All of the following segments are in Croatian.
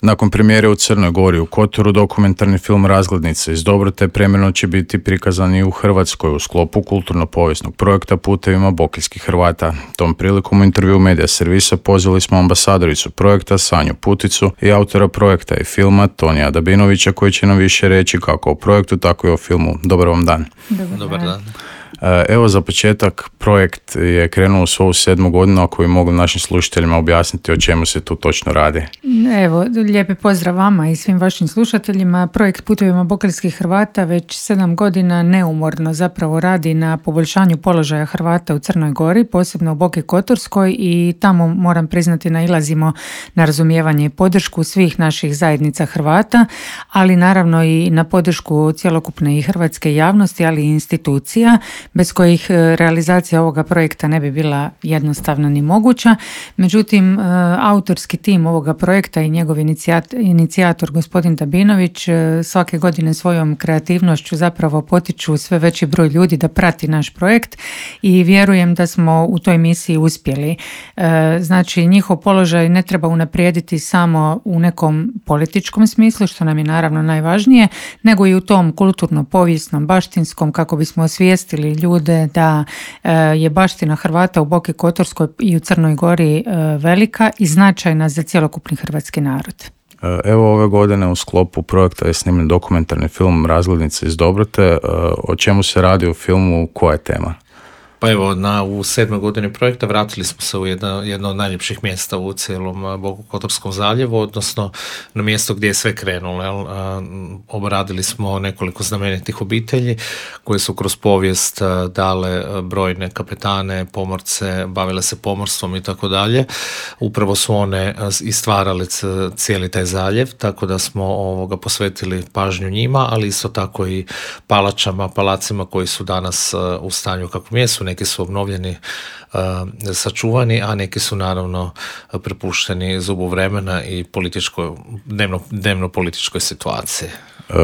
Nakon premijere u Crnoj Gori u Kotoru, dokumentarni film Razglednice iz Dobrote premijerno će biti prikazan i u Hrvatskoj u sklopu kulturno-povijesnog projekta Putevima bokeljskih Hrvata. Tom prilikom u intervju Medija servisa pozvali smo ambasadoricu projekta Sanju Puticu i autora projekta i filma Tonija Dabinovića koji će nam više reći kako o projektu, tako i o filmu. Dobar vam dan. Dobar dan. Evo za početak, projekt je krenuo u svoju 7. godinu, ako bi mogli našim slušateljima objasniti o čemu se tu točno radi. Evo, lijepi pozdrav vama i svim vašim slušateljima. Projekt Putevima bokeljskih Hrvata već 7 godina neumorno zapravo radi na poboljšanju položaja Hrvata u Crnoj Gori, posebno u Boki Kotorskoj, i tamo, moram priznati, nailazimo na razumijevanje i podršku svih naših zajednica Hrvata, ali naravno i na podršku cjelokupne i hrvatske javnosti, ali i institucija, bez kojih realizacija ovoga projekta ne bi bila jednostavna ni moguća. Međutim, autorski tim ovoga projekta i njegov inicijator gospodin Dabinović svake godine svojom kreativnošću zapravo potiču sve veći broj ljudi da prati naš projekt i vjerujem da smo u toj misiji uspjeli. Znači, njihov položaj ne treba unaprijediti samo u nekom političkom smislu, što nam je naravno najvažnije, nego i u tom kulturno-povijesnom, baštinskom, kako bismo osvijestili ljude da je baština Hrvata u Boki Kotorskoj i u Crnoj Gori velika i značajna za cjelokupni hrvatski narod. Evo, ove godine u sklopu projekta je snimljen dokumentarni film Razglednice iz Dobrote. O čemu se radi u filmu, koja je tema? Pa evo, u 7. godini projekta vratili smo se u jedno od najljepših mjesta u cijelom Bokokotorskom zaljevu, odnosno na mjesto gdje je sve krenulo. Obradili smo nekoliko znamenitih obitelji koje su kroz povijest dale brojne kapetane, pomorce, bavile se pomorstvom i tako dalje. Upravo su one i stvarale cijeli taj zaljev, tako da smo posvetili pažnju njima, ali isto tako i palacima koji su danas u stanju kakvom jesu. Neki su obnovljeni, sačuvani, a neki su naravno prepušteni zubu vremena i dnevno političkoj situaciji.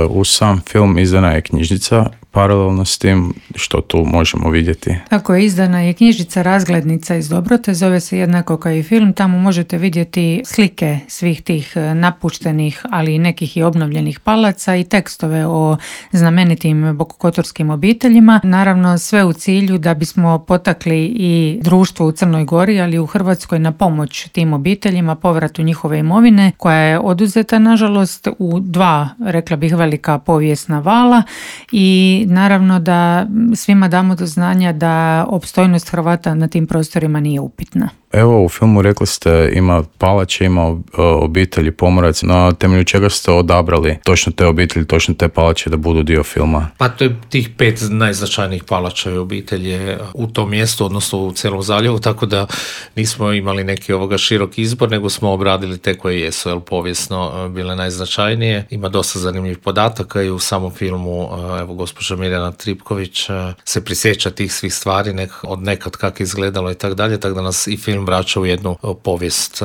U sam film izdana je knjižnica, paralelno s tim što tu možemo vidjeti. Tako je, izdana je knjižnica Razglednica iz Dobrote, zove se jednako kao i film. Tamo možete vidjeti slike svih tih napuštenih, ali i nekih i obnovljenih palaca i tekstove o znamenitim bokokotorskim obiteljima. Naravno, sve u cilju da bismo potakli i društvo u Crnoj Gori, ali i u Hrvatskoj na pomoć tim obiteljima, povratu njihove imovine koja je oduzeta, nažalost, u 2, rekla bih, velika povijesna vala, i naravno da svima damo do znanja da opstojnost Hrvata na tim prostorima nije upitna. Evo, u filmu rekli ste ima palače, ima obitelji pomoraca, na temelju čega ste odabrali točno te obitelji, točno te palače da budu dio filma? Pa to je tih 5 najznačajnijih palača i obitelji u tom mjestu, odnosno u cijelom zaljevu, tako da nismo imali neki širok izbor, nego smo obradili te koje jesu povijesno bile najznačajnije. Ima dosta zanimljivih podataka i u samom filmu, evo, gospođa Mirjana Tripković se prisjeća tih svih stvari od nekad kako je izgledalo i tako dalje, tako da nas i film vraća u jednu povijest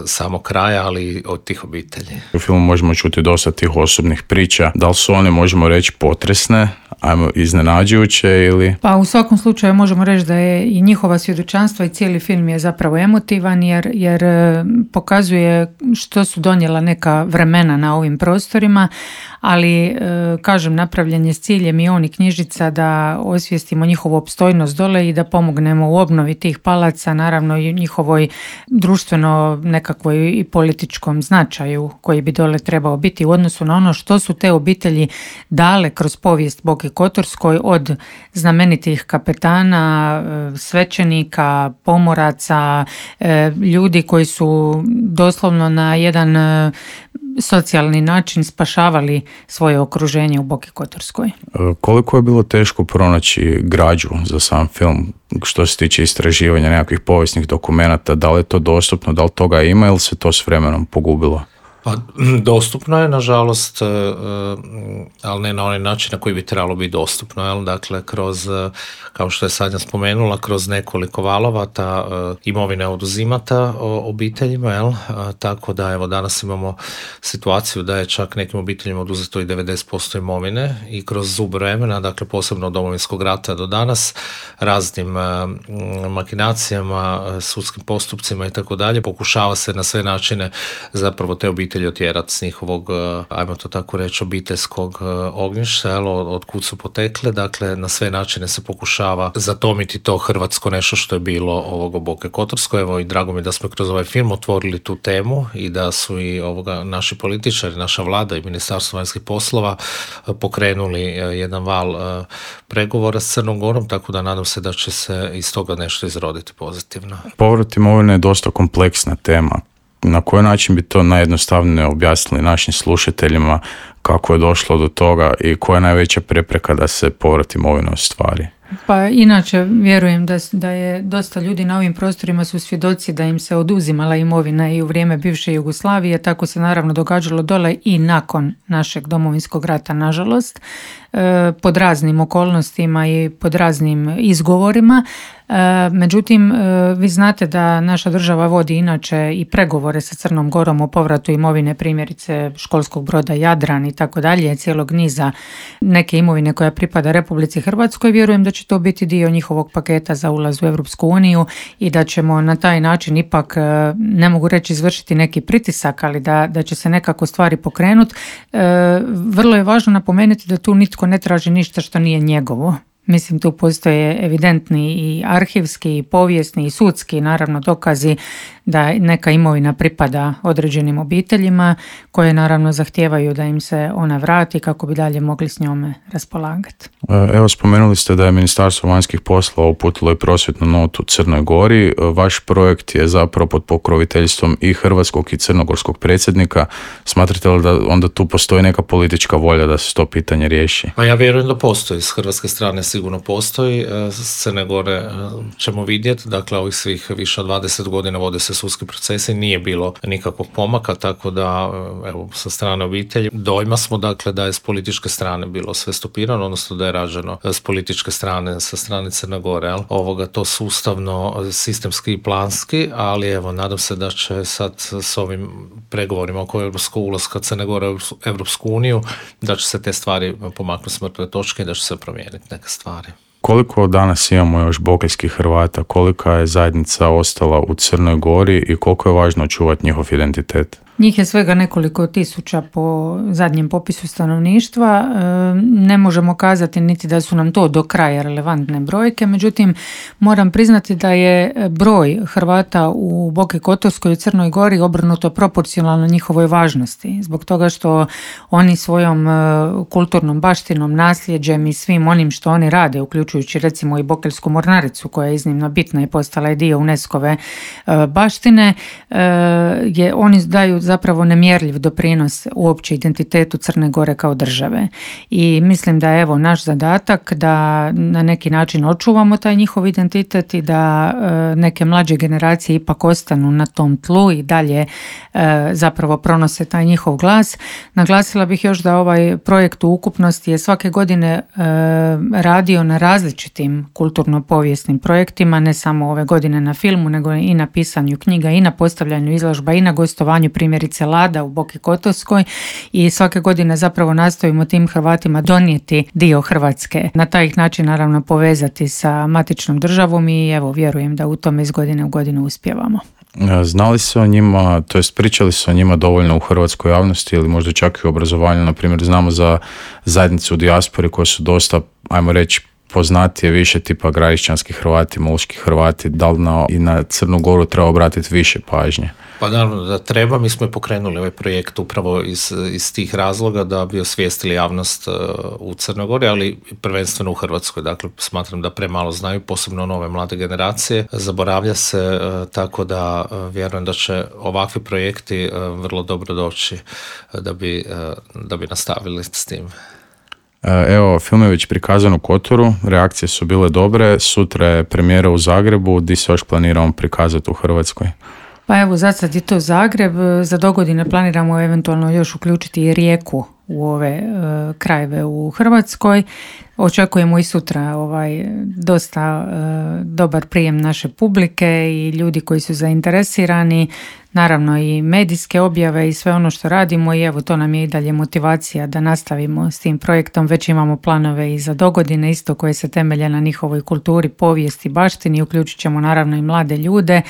samog kraja, ali od tih obitelji. U filmu možemo čuti dosta tih osobnih priča. Da li su one, možemo reći, potresne, iznenađujuće ili? Pa u svakom slučaju možemo reći da je i njihova svjedočanstva i cijeli film je zapravo emotivan jer pokazuje što su donijela neka vremena na ovim prostorima, ali kažem, napravljen je s ciljem i on i knjižica da osvijestimo njihovu opstojnost dole i da pomognemo u obnovi tih palaca, naravno i njihovoj društveno nekakvoj i političkom značaju koji bi dole trebao biti u odnosu na ono što su te obitelji dale kroz povijest Boki Kotorskoj, od znamenitih kapetana, svećenika, pomoraca, ljudi koji su doslovno na jedan socijalni način spašavali svoje okruženje u Boki Kotorskoj. Koliko je bilo teško pronaći građu za sam film što se tiče istraživanja nekakvih povijesnih dokumenata? Da li je to dostupno, da li toga ima ili se to s vremenom pogubilo? Pa, dostupno je, nažalost, ali ne na onaj način na koji bi trebalo biti dostupno. Jel? Dakle, kroz, kao što je Sanja spomenula, kroz nekoliko valova ta imovina je oduzimata obiteljima. Jel? Tako da, evo, danas imamo situaciju da je čak nekim obiteljima oduzeto i 90% imovine i kroz zub vremena, dakle, posebno od Domovinskog rata do danas, raznim makinacijama, sudskim postupcima i tako dalje, pokušava se na sve načine zapravo te obitelji obitelji otjerati s njihovog, ajmo to tako reći, obiteljskog ognjišta, od kud su potekle. Dakle, na sve načine se pokušava zatomiti to hrvatsko nešto što je bilo ovog Boke Kotorsko. Evo, i drago mi da smo kroz ovaj film otvorili tu temu i da su i naši političari, naša vlada i Ministarstvo vanjskih poslova pokrenuli jedan val pregovora s Crnom Gorom, tako da nadam se da će se iz toga nešto izroditi pozitivno. Povrat imovine je dosta kompleksna tema. Na koji način bi to najjednostavnije objasnili našim slušateljima, kako je došlo do toga i koja je najveća prepreka da se povrat imovine ostvari? Pa inače vjerujem da je dosta ljudi na ovim prostorima su svjedoci da im se oduzimala imovina i u vrijeme bivše Jugoslavije, tako se naravno događalo dole i nakon našeg Domovinskog rata, nažalost, pod raznim okolnostima i pod raznim izgovorima. Međutim, vi znate da naša država vodi inače i pregovore sa Crnom Gorom o povratu imovine, primjerice školskog broda Jadran i tako dalje, cijelog niza neke imovine koja pripada Republici Hrvatskoj. Vjerujem da će to biti dio njihovog paketa za ulaz u Europsku uniju i da ćemo na taj način ipak, ne mogu reći izvršiti neki pritisak, ali da će se nekako stvari pokrenuti. Vrlo je važno napomenuti da tu nitko ne traži ništa što nije njegovo. Mislim, tu postoje evidentni i arhivski, i povijesni, i sudski, naravno, dokazi da neka imovina pripada određenim obiteljima koje naravno zahtijevaju da im se ona vrati kako bi dalje mogli s njome raspolagati. Evo, spomenuli ste da je Ministarstvo vanjskih poslova uputilo i prosvjetnu notu Crnoj Gori. Vaš projekt je zapravo pod pokroviteljstvom i hrvatskog i crnogorskog predsjednika. Smatrate li da onda tu postoji neka politička volja da se to pitanje riješi? Pa ja vjerujem da postoji. S hrvatske strane sigurno postoji. S Crne Gore ćemo vidjeti. Dakle, ovih svih više od 20 godina vode se sudski procesi, nije bilo nikakvog pomaka, tako da, evo, sa strane obitelji dojma smo, dakle, da je s političke strane bilo sve stopirano, odnosno da je rađeno s političke strane, sa strane Crne Gore, to sustavno, sistemski i planski, ali evo, nadam se da će sad s ovim pregovorima oko europskog ulaska Crne Gore u Europsku uniju, da će se te stvari pomaknuti s mrtve točke i da će se promijeniti neke stvari. Koliko danas imamo još bokeljskih Hrvata, kolika je zajednica ostala u Crnoj Gori i koliko je važno čuvati njihov identitet? Njih je svega nekoliko tisuća po zadnjem popisu stanovništva. Ne možemo kazati niti da su nam to do kraja relevantne brojke, međutim moram priznati da je broj Hrvata u Boki Kotorskoj i Crnoj Gori obrnuto proporcionalno njihovoj važnosti, zbog toga što oni svojom kulturnom baštinom, nasljeđem i svim onim što oni rade, uključujući recimo i Bokeljsku mornaricu koja je iznimno bitna i postala je dio UNESCO-ve baštine, oni daju zapravo nemjerljiv doprinos uopće identitetu Crne Gore kao države. I mislim da je evo naš zadatak da na neki način očuvamo taj njihov identitet i da neke mlađe generacije ipak ostanu na tom tlu i dalje zapravo pronose taj njihov glas. Naglasila bih još da ovaj projekt u ukupnosti je svake godine radio na različitim kulturno-povijesnim projektima, ne samo ove godine na filmu, nego i na pisanju knjiga, i na postavljanju izložba, i na gostovanju primjerice Lada u Boki Kotorskoj, i svake godine zapravo nastojimo tim Hrvatima donijeti dio Hrvatske. Na taj način naravno povezati sa matičnom državom i evo vjerujem da u tome iz godine u godinu uspijevamo. Znali se o njima, to jest pričali se o njima dovoljno u hrvatskoj javnosti ili možda čak i u obrazovanju? Na primjer, znamo za zajednice u dijaspori koje su dosta, ajmo reći, poznatije više tipa gradišćanski Hrvati, muški Hrvati, da li i na Crnu Goru treba obratiti više pažnje? Pa naravno da treba, mi smo i pokrenuli ovaj projekt upravo iz tih razloga da bi osvijestili javnost u Crnoj Gori, ali prvenstveno u Hrvatskoj. Dakle, smatram da premalo znaju, posebno nove mlade generacije. Zaboravlja se, tako da vjerujem da će ovakvi projekti vrlo dobro doći da bi nastavili s tim. Evo, film je već prikazan u Kotoru, reakcije su bile dobre, sutra je premijera u Zagrebu, di se još planiramo prikazati u Hrvatskoj? Pa evo, za sad je to Zagreb, za dogodine planiramo eventualno još uključiti i Rijeku u ove krajeve u Hrvatskoj. Očekujemo i sutra dosta dobar prijem naše publike i ljudi koji su zainteresirani, naravno i medijske objave i sve ono što radimo i evo to nam je i dalje motivacija da nastavimo s tim projektom. Već imamo planove i za dogodine isto koje se temelje na njihovoj kulturi, povijesti, baštini, uključit ćemo naravno i mlade ljude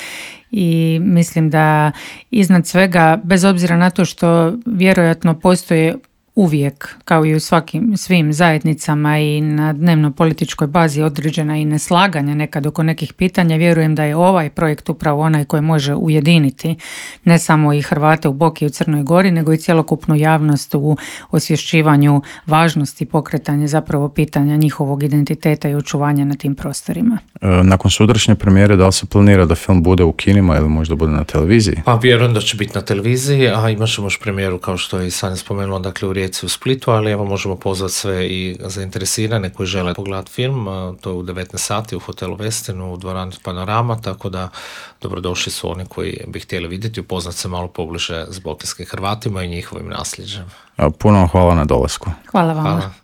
i mislim da iznad svega, bez obzira na to što vjerojatno postoje uvijek, kao i u svim zajednicama i na dnevno političkoj bazi određena i neslaganja nekad oko nekih pitanja, vjerujem da je ovaj projekt upravo onaj koji može ujediniti ne samo i Hrvate u Boki i u Crnoj Gori, nego i cjelokupnu javnost u osvješćivanju važnosti pokretanja zapravo pitanja njihovog identiteta i očuvanja na tim prostorima. Nakon sutrašnje premijere, da li se planira da film bude u kinima ili možda bude na televiziji? Pa vjerujem da će biti na televiziji, a imat ćemo još premijeru kao što je i Sanja spomenula, dakle u Rijeci, u Splitu, ali evo možemo pozvati sve i zainteresirane koji žele pogledati film, to je u 19 sati u hotelu Westinu, u dvorani Panorama, tako da dobrodošli su oni koji bi htjeli vidjeti, upoznati se malo pobliže s bokeljskim Hrvatima i njihovim nasljeđem. Puno vam hvala na dolasku. Hvala vam. Hvala.